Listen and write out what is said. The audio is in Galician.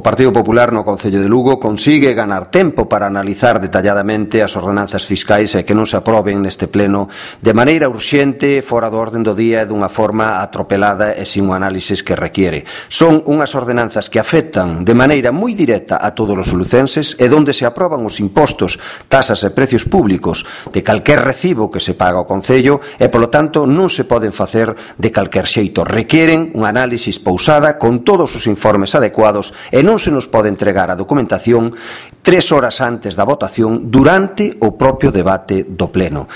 O Partido Popular no Concello de Lugo consigue ganar tempo para analizar detalladamente as ordenanzas fiscais e que non se aproben neste pleno de maneira urxente, fora do orden do día e dunha forma atropelada e sin o análisis que requiere. Son unhas ordenanzas que afectan de maneira moi directa a todos os lucenses e donde se aproban os impostos, tasas e precios públicos de calquer recibo que se paga ao Concello e, polo tanto, non se poden facer de calquer xeito. Requieren un análisis pausada con todos os informes adecuados e non se nos pode entregar a documentación 3 horas antes da votación durante o propio debate do pleno.